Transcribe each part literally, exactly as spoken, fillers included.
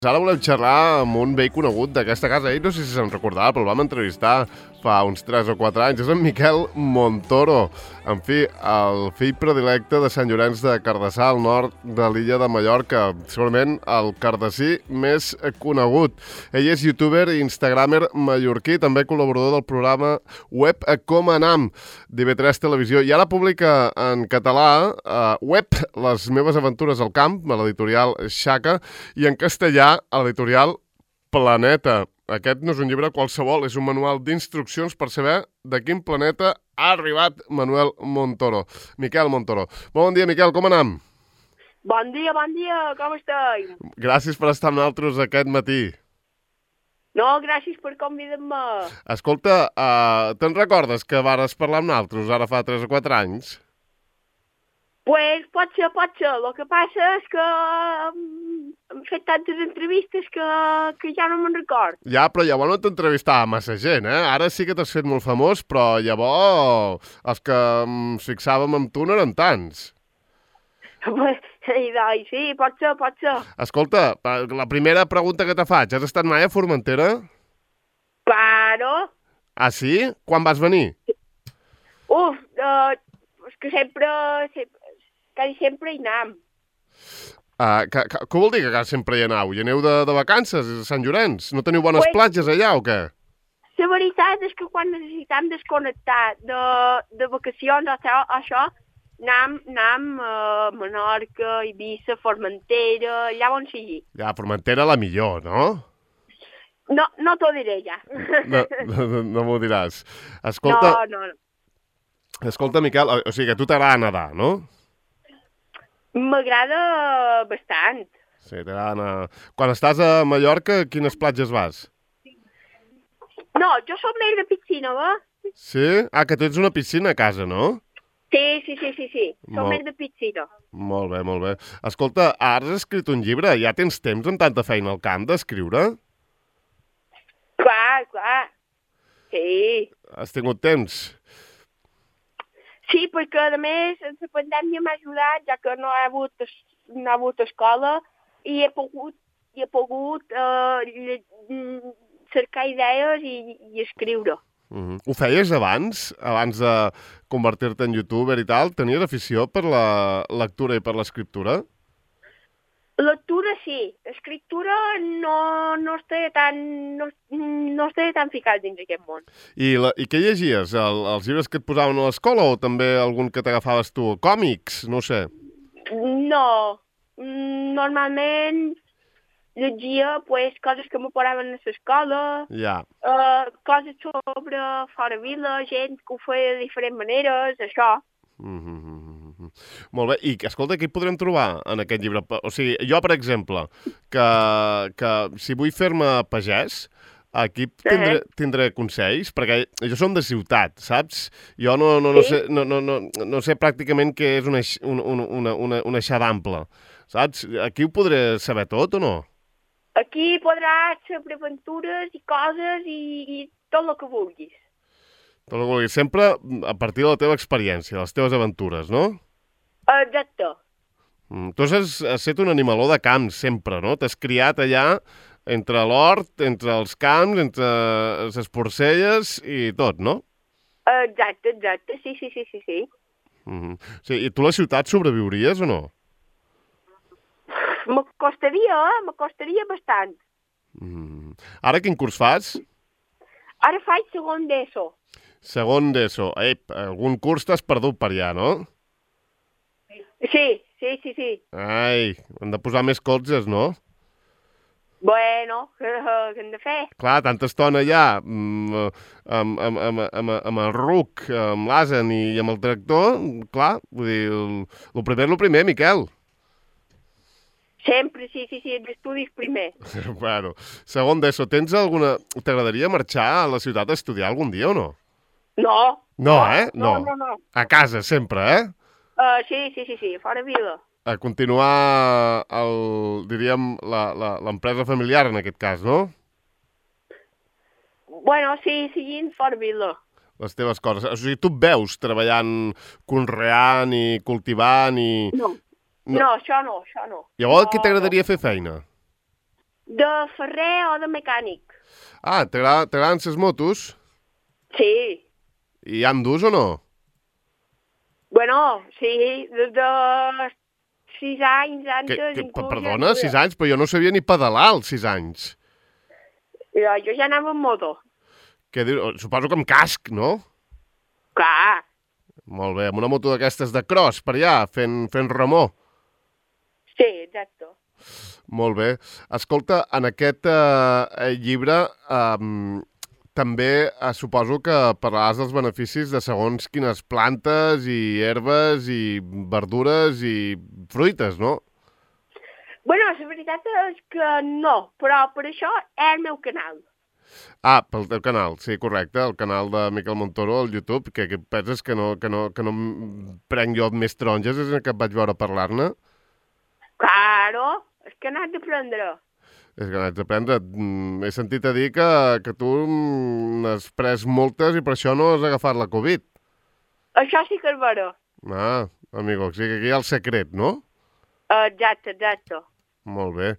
Ara volem xerrar amb un vell conegut d'aquesta casa. Ell no sé si se'n recordava, però el vam entrevistar fa uns tres o quatre anys. És en Miquel Montoro. En fi, el fill predilecte de Sant Llorenç de Cardassar, al nord de l'illa de Mallorca. Segurament el cardassí més conegut. Ell és youtuber i instagramer mallorquí, també col·laborador del programa web Com Anam, d'I V tres Televisió. I ara publica en català eh, web Les meves aventures al camp, a l'editorial Xaca, i en castellà a l'editorial Planeta. Aquest no és un llibre qualsevol, és un manual d'instruccions per saber de quin planeta ha arribat Manuel Montoro. Miquel Montoro. Bon dia, Miquel, com anam? Bon dia, bon dia, com esteu? Gràcies per estar amb nosaltres aquest matí. No, gràcies per convidar-me. Escolta, uh, te'n recordes que vares parlar amb nosaltres ara fa tres o quatre anys? Pues pot ser, pot ser. El que passa és que hem fet tantes entrevistes que, que ja no me'n record. Ja, però llavors no t'entrevistava massa gent, eh? Ara sí que t'has fet molt famós, però llavors els que ens fixàvem amb tu no eren tants. Pues, doncs, sí, pot ser, pot ser. Escolta, la primera pregunta que te faig, has estat mai a Formentera? Claro. Ah, sí? Quan vas venir? Uf, uh, és que sempre, sempre, quasi sempre hi anem. Uh, que, que, què vol dir que quasi sempre hi aneu? Hi aneu de, de vacances a Sant Llorenç? No teniu bones pues, platges allà o què? La veritat és que quan necessitem desconnectar de, de vacacions o això, això anem, anem a Menorca, Eivissa, Formentera, allà on sigui. Ja, Formentera la millor, no? No, no t'ho diré ja. No, no, no m'ho diràs. Escolta, no, no, no. Escolta, Miquel, o, o sigui que a tu t'agrada nedar, no? M'agrada bastant. Sí, t'agrada anar... Quan estàs a Mallorca, a quines platges vas? No, jo soc més de piscina, va? Sí? Ah, que tu ets una piscina a casa, no? Sí, sí, sí, sí, sí. Soc Molt... més de piscina. Molt bé, molt bé. Escolta, has escrit un llibre? Ja tens temps amb tanta feina al camp d'escriure? Clar, clar. Sí. Has tingut temps? Sí, perquè a més la pandèmia m'ha ajudat, ja que no ha hagut, no ha hagut escola, i he pogut, i he pogut uh, cercar idees i, i escriure. Uh-huh. Ho feies abans, abans de convertir-te en youtuber i tal? Tenies afició per la lectura i per l'escriptura? Lectura sí, escriptura no, no estava tan, no, no estava tan ficat dins aquest món. I, la, i què llegies? El, els llibres que et posaven a l'escola o també algun que t'agafaves tu? Còmics? No sé. No, normalment llegia pues, coses que me posaven a l'escola, ja. uh, coses sobre fora vila, gent que ho feia de diferents maneres, això. Mm-hmm. Molt bé, i escolta, què hi podrem trobar en aquest llibre? O sigui, jo, per exemple, que, que si vull fer-me pagès, aquí tindré, uh-huh. tindré consells, perquè jo som de ciutat, saps? Jo no, no, no, sí? sé, no, no, no, no sé pràcticament què és una, una, una, una, una xadample, saps? Aquí ho podré saber tot o no? Aquí podràs saber aventures i coses i, i tot el que vulguis. Tot el que vulguis. Sempre a partir de la teva experiència, de les teves aventures, no? Exacte. Mm, tu has, has estat un animaló de camp, sempre, no? T'has criat allà entre l'hort, entre els camps, entre les porcelles i tot, no? Exacte, exacte, sí, sí, sí, sí, sí. Mm-hmm. Sí, i tu a la ciutat sobreviuries o no? M'acostaria, eh? M'acostaria bastant. Mm. Ara quin curs fas? Ara faig segon d'ESO. Segon d'ESO. Ep, algun curs t'has perdut per allà, no? Sí, sí, sí, sí. Ai, hem de posar més colzes, no? Bueno, què hem de fer? Clar, tanta estona allà, amb, amb, amb, amb, amb, amb el ruc, amb l'Asen i amb el tractor, clar, vull dir, el, el primer és el primer, Miquel. Sempre, sí, sí, sí, d'estudis primer. Bueno, segon d'ESO, tens alguna... T'agradaria marxar a la ciutat a estudiar algun dia o no? No. No, eh? No, no, no. A casa, sempre, eh? Uh, sí, sí, sí, sí, fora vila. A continuar, el, diríem, l'empresa familiar en aquest cas, no? Bueno, sí, seguint fora vila. Les teves coses. O sigui, tu et veus treballant, conreant i cultivant i... No, no, no això no, això no. Llavors, no, què t'agradaria no. fer feina? De ferrer o de mecànic. Ah, t'agraden les motos? Sí. I hi han d'ús o no? Bueno, sí, des de sis anys antes... Que, que, inclús perdona, ja sis anys? Però jo no sabia ni pedalar als sis anys. Jo, jo ja anava amb moto. Què dius? Suposo que amb casc, no? Clar. Molt bé, amb una moto d'aquestes de cross, per allà, fent, fent remor. Sí, exacte. Molt bé. Escolta, en aquest eh, llibre eh, també eh, suposo que parlaràs dels beneficis de segons quines plantes i herbes i verdures i fruites, no? Bueno, la veritat és que no, però per això és el meu canal. Ah, pel teu canal, sí, correcte, el canal de Miquel Montoro al YouTube, que, que penses que no, que, no, que no prenc jo més taronges des que et vaig veure parlar-ne? Claro, és que n'has d'aprendre. És que n'haig d'aprendre. Mm, he sentit a dir que, que tu n'has pres moltes i per això no has agafat la Covid. Això sí que és vera. Ah, amigo, o sigui que aquí hi ha el secret, no? Exacte, exacte. Molt bé.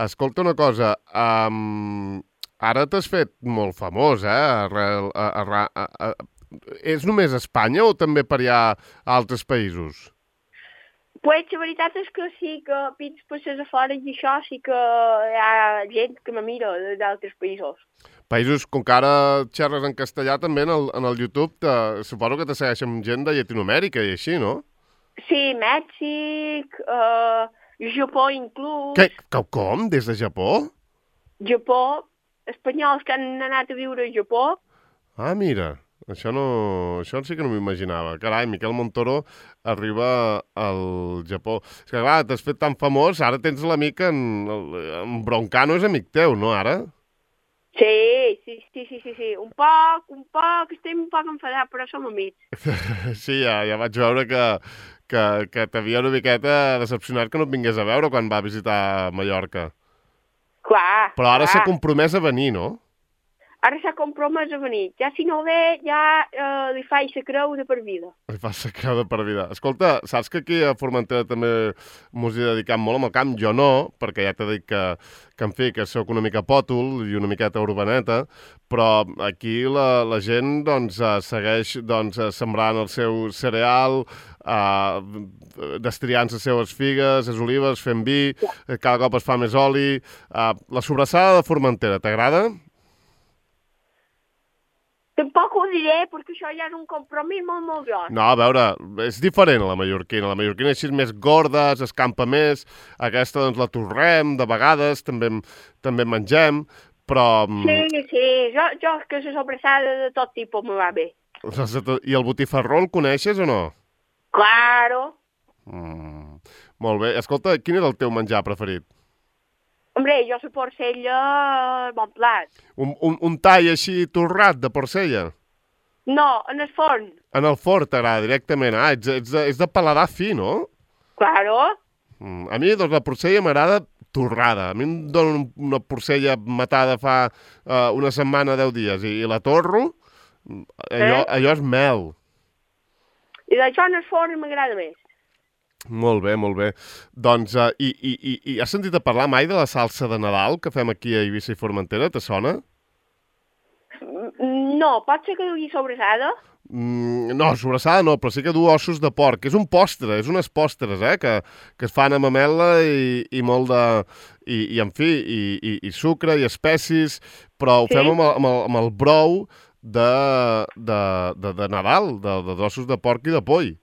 Escolta una cosa, um, ara t'has fet molt famós, eh? Arrel, a, a, a, a, és només a Espanya o també per allà a altres països? Pues la veritat és que sí que pins passes a fora i això sí que hi ha gent que me mira d'altres països. Països, com que ara xerres en castellà també en el, en el YouTube, te, suposo que te segueixen gent de Llatinoamèrica i així, no? Sí, Mèxic, uh, Japó inclús. Què? Com? Des de Japó? Japó, espanyols que han anat a viure a Japó. Ah, mira, això, no, això sí que no m'imaginava. Carai, Miquel Montoro arriba al Japó. És que, clar, t'has fet tan famós, ara tens l'amic en, en Broncano, és amic teu, no, ara? Sí, sí, sí, sí, sí, sí. Un poc, un poc, estem un poc enfadats, però som amics. Sí, ja, ja vaig veure que, que, que t'havia una miqueta decepcionat que no et vingués a veure quan va visitar Mallorca. Clar, Però ara clar. s'ha compromès a venir, no? Ara s'ha compromès a venir. Ja si no ve, ja eh, li faig la creu de per vida. Li fas la creu de per vida. Escolta, saps que aquí a Formentera també mos hi dediquem molt amb el camp? Jo no, perquè ja t'he dit que, que en fi, que sóc una mica pòtol i una miqueta urbaneta, però aquí la, la gent doncs, eh, segueix doncs, eh, sembrant el seu cereal, eh, destriant les seves figues, les olives, fent vi, eh, cada cop es fa més oli. Eh, la sobrassada de Formentera, t'agrada? Tampoc ho diré, perquè això ja és un compromís molt, molt gros. No, a veure, és diferent a la mallorquina. La mallorquina així és més gorda, s'escampa més. Aquesta, doncs, la torrem, de vegades, també, també mengem, però... Sí, sí, jo, jo que la sobrassada de tot tipus me va bé. I el botifarró el coneixes o no? Claro. Mm, molt bé. Escolta, quin és el teu menjar preferit? Hombre, jo la porcella, bon plat. Un, un, un tall així torrat de porcella? No, en el forn. En el forn t'agrada directament. Ah, ets, ets, de, ets de paladar fi, no? Claro. Mm, a mi, doncs, la porcella m'agrada torrada. A mi em donen una porcella matada fa uh, una setmana, deu dies, i, i la torro, allò, Eh? allò és mel. I d'això en el forn m'agrada més. Molt bé, molt bé. Doncs, uh, i, i, i, i has sentit a parlar mai de la salsa de Nadal que fem aquí a Eivissa i Formentera? Te sona? No, pot ser que dugui sobrassada? Mm, no, sobrassada no, però sí que du ossos de porc. És un postre, és unes postres, eh, que, que es fan amb amela i, i molt de... I, i en fi, i, i, i sucre i especis, però ho Sí? fem amb el, amb el, amb el brou de, de, de, de Nadal, de, de ossos de porc i de poll.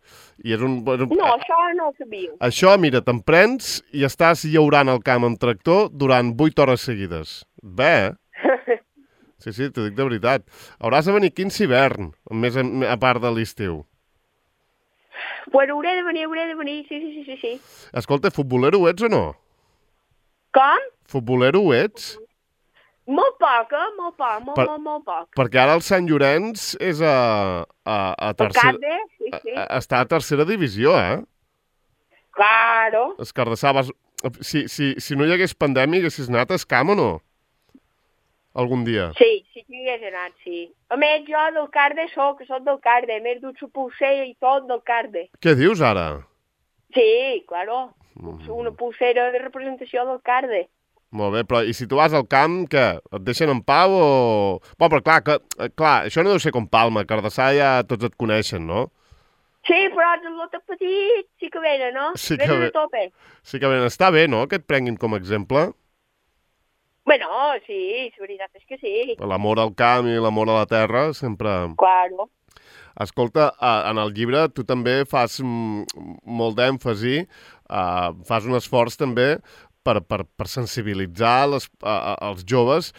I és un, és un... No, això no ho sabia. Això, mira, te'n prens i estàs llaurant el camp amb tractor durant vuit hores seguides. Bé, eh? Sí, sí, t'ho dic de veritat. Hauràs de venir aquí en hivern, més a, a part de l'estiu. Pues hauré de venir, hauré de venir, sí, sí, sí, sí, sí. Escolta, futbolero ets o no? Com? Futbolero ets? Molt poc, eh? Molt poc, molt, Per- molt, molt poc. Perquè ara el Sant Llorenç és a, a, a El tercera... Carde, sí, sí. a- està a tercera divisió, eh? Claro. Escardassar, vas... Si, si, si no hi hagués pandèmia, haguessis anat a Escam o no? Algun dia. Sí, sí que hi hagués anat, sí. A més, jo del Carde soc, soc del Carde. A més, du la pulsera i tot del Carde. Què dius ara? Sí, claro. Una pulsera de representació del Carde. Molt bé, però i si tu vas al camp, què? Et deixen en pau o...? Bueno, però clar, que, clar, això no deu ser com Palma, que a Cardassar ja tots et coneixen, no? Sí, però els lotes petits sí que venen, no? Sí que Venen ve- a tope. Sí que ben està bé, no?, que et prenguin com a exemple. Bueno, sí, la veritat és que sí. L'amor al camp i l'amor a la terra sempre... Claro. Escolta, eh, en el llibre tu també fas mm, molt d'èmfasi, eh, fas un esforç també per, per, per sensibilitzar les, a, a, els joves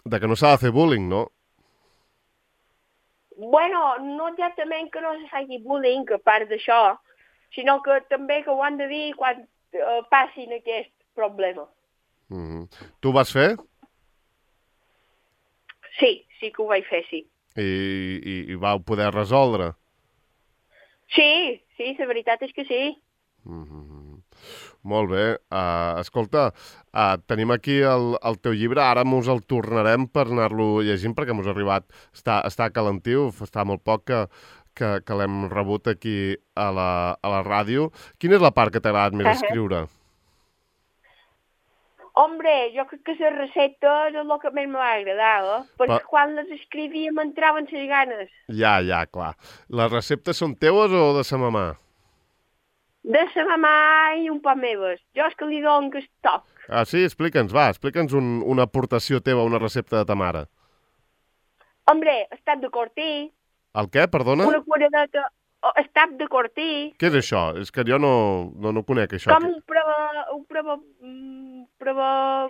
de que no s'ha de fer bullying, no? Bueno, no exactament que no se faci bullying, a part d'això, sinó que també que ho han de dir quan eh, passin aquest problema. Mm -hmm. Tu ho vas fer Sí, sí que ho vaig fer, sí. i, i, i vau poder resoldre. Sí, sí, la veritat és que sí. Mm -hmm. Molt bé. Uh, escolta, uh, tenim aquí el, el teu llibre, ara mos el tornarem per anar-lo llegint perquè mos ha arribat, està, està calentiu, està molt poc que, que, que l'hem rebut aquí a la, a la ràdio. Quina és la part que t'ha agradat més escriure? Hombre, jo crec que les receptes és el que més m'ha agradat, eh? Perquè Pa... quan les escrivia m'entraven les ganes. Ja, ja, clar. Les receptes són teues o de sa mamà? De sa mamà i un poc meves. Jo és que li dono aquest toc. Ah, sí? Explica'ns, va, explica'ns un, una aportació teva a una recepta de ta mare. Hombre, estat de cortí, El què, perdona? una curadeta, oh, estat de cortí, Què és això? És que jo no, no, no conec això. com un prova... Un prova... Un prova...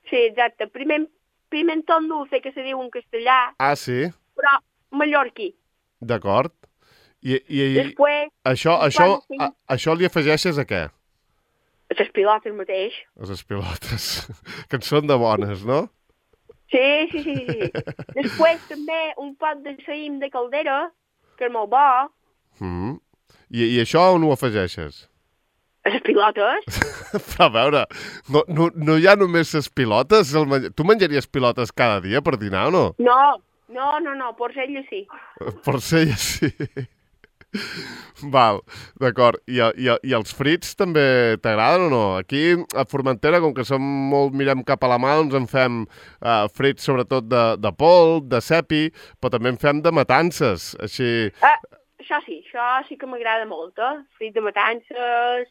Sí, exacte. Primer, pimentón dulce, que se diu en castellà, Ah, sí? però mallorquí. D'acord. I, i, i Després, això, un això, pot de a, això li afegeixes a què? les pilotes mateix. A les pilotes, que en són de bones, no? Sí, sí, sí, sí. Després també un pot de saïm de caldera, que és molt bo. Mm. I, I això on ho afegeixes? A les pilotes. Però a veure, no, no, no hi ha només les pilotes? El menj... Tu menjaries pilotes cada dia per dinar o no? No, no, no, no, por ella sí. Per ser ja sí. Val, d'acord. I, i, I els frits també t'agraden o no? Aquí a Formentera, com que som molt, mirem cap a la mà, doncs en fem uh, frits sobretot de, de polp, de cepi, però també en fem de matances, així... Ah, això sí, això sí que m'agrada molt, eh? Frit de matances,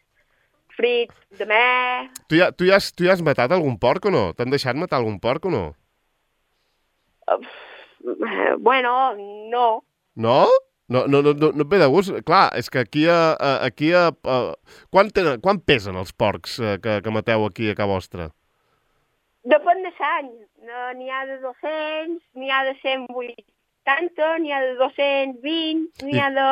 frit de mer... Tu ja, tu, ja has, tu ja has matat algun porc o no? T'han deixat matar algun porc o no? Uh, bueno, no. No? No, no, no, no, no et ve de gust? Clar, és que aquí a... a aquí a, a quan, tenen, quan pesen els porcs eh, que, que mateu aquí a casa vostra? Depèn de l'any. N'hi ha de dos-cents, n'hi ha de cent vuitanta, n'hi ha de dos-cents vint, n'hi I- ha de...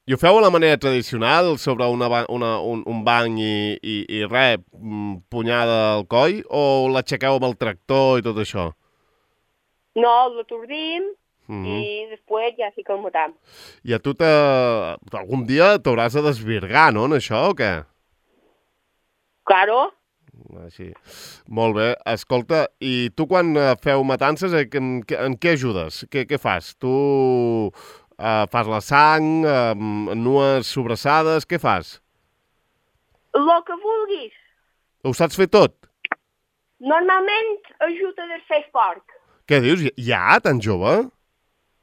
I ho feu a la manera tradicional, sobre una, ba- una, un, un banc i, i, i res, mm, punyada al coll, o l'aixequeu amb el tractor i tot això? No, l'atordim Mm -hmm. i després ja sí que el matam. I a tu te... algun dia t'hauràs de desvirgar, no, en això, o què? Claro. Així. Molt bé. Escolta, i tu quan eh, feu matances, eh, en, en què ajudes? Què, què fas? Tu eh, fas la sang, eh, nues sobrassades, què fas? El que vulguis. Ho saps fer tot? Normalment ajuda a desfer el porc. Què dius? Ja, tan jove?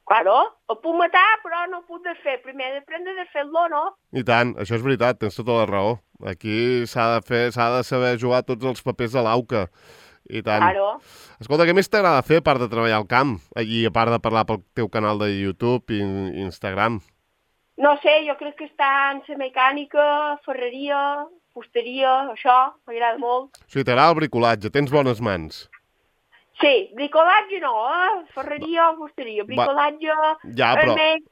Claro, el puc matar, però no el puc desfer. Primer he d'aprendre a desfer-lo, no? I tant, això és veritat, tens tota la raó. Aquí s'ha de fer, s'ha de saber jugar tots els papers de l'auca. I tant. Claro. Escolta, què més t'agrada fer a part de treballar al camp? I a part de parlar pel teu canal de YouTube i, i Instagram? No sé, jo crec que està en la mecànica, ferreria, fusteria, això, m'agrada molt. O sigui, t'agrada el bricolatge, tens bones mans. Sí, bricolatge no, eh? Ferreria o fusteria. Bricolatge Ja, però... és més,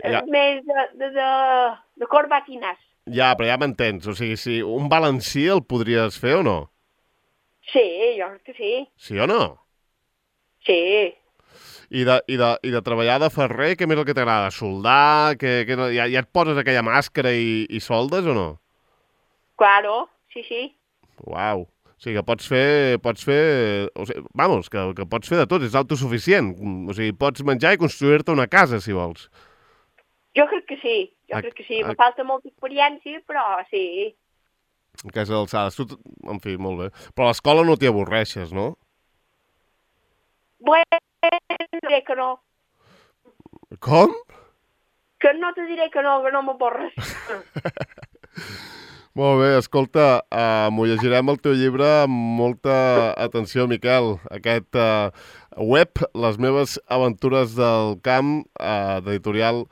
Ja. és més de, de, de, de corbatines. Ja, però ja m'entens. O sigui, si un balancí el podries fer o no? Sí, jo crec que sí. Sí o no? Sí. I de, i de, i de treballar de ferrer, què més és el que t'agrada? Soldar? Que, que no, ja, ja et poses aquella màscara i, i soldes o no? Claro, sí, sí. Uau. O sigui, que pots fer... Pots fer o sigui, vamos, que, que pots fer de tot, és autosuficient. O sigui, pots menjar i construir-te una casa, si vols. Jo crec que sí, jo A- crec que sí. a- Me falta molta experiència, però sí. Aquestes alçades. Tu, en fi, molt bé. Però a l'escola no t'hi avorreixes, no? Bueno, diré que no. Com? Que no te diré que no, que no m'avorres. Molt bé, escolta, uh, m'ho llegirem el teu llibre amb molta atenció, Miquel. Aquest uh, web, Les meves aventures del camp, uh, d'editorial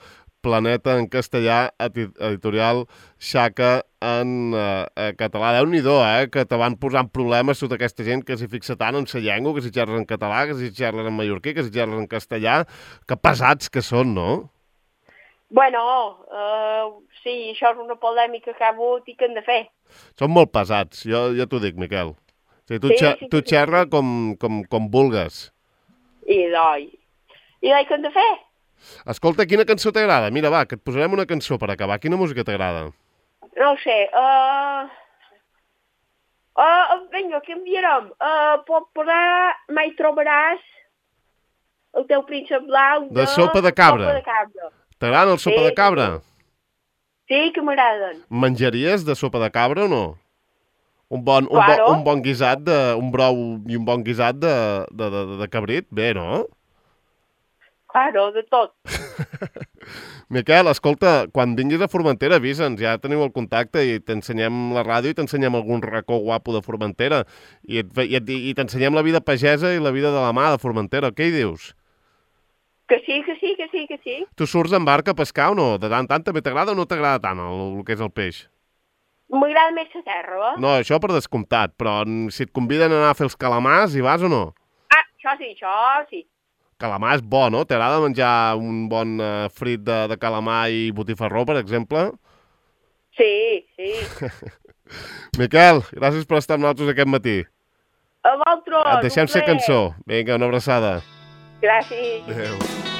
Planeta en castellà, editorial Xaca en uh, català. Déu-n'hi-do, eh, que te van posant problemes tota aquesta gent que s'hi fixa tant en sa llengua, que si xerres en català, que si xerres en mallorquí, que si xerres en castellà. Que pesats que són, no? Bueno, uh, sí, això és una polèmica que ha hagut i que hem de fer. Són molt pesats, jo ja t'ho dic, Miquel. O sigui, tu, Sí, xe sí, tu sí, xerra sí. com, com, com vulgues. I doi. I doi que hem de fer? Escolta, quina cançó t'agrada? Mira, va, que et posarem una cançó per acabar. Quina música t'agrada? No ho sé. Uh... Uh, vinga, què enviarem? Uh, pot posar Mai trobaràs el teu príncep blau de... De sopa de cabra. Sopa de cabra. T'agrada el sopa Sí, de cabra? Sí, que m'agraden. Menjaries de sopa de cabra o no? Un bon, un, Claro. bo, un bon guisat, de, un brou i un bon guisat de, de, de, de cabrit? Bé, no? Claro, de tot. Miquel, escolta, quan vinguis a Formentera, avisa'ns, ja teniu el contacte i t'ensenyem la ràdio i t'ensenyem algun racó guapo de Formentera i, et, i, et, i t'ensenyem la vida pagesa i la vida de la mà de Formentera. Què hi dius? Que sí, que sí, que sí, que sí. Tu surts en barca a pescar o no? De tant en tant també t'agrada o no t'agrada tant el, el que és el peix? M'agrada més la terra, eh? No, això per descomptat, però si et conviden a anar a fer els calamars, hi vas o no? Ah, això sí, això sí. Calamar és bo, no? T'agrada menjar un bon uh, frit de, de calamar i botifarró, per exemple? Sí, sí. Miquel, gràcies per estar amb nosaltres aquest matí. A vosaltres. Et deixem ser cançó. Vinga, una abraçada. Gràcies. Adéu.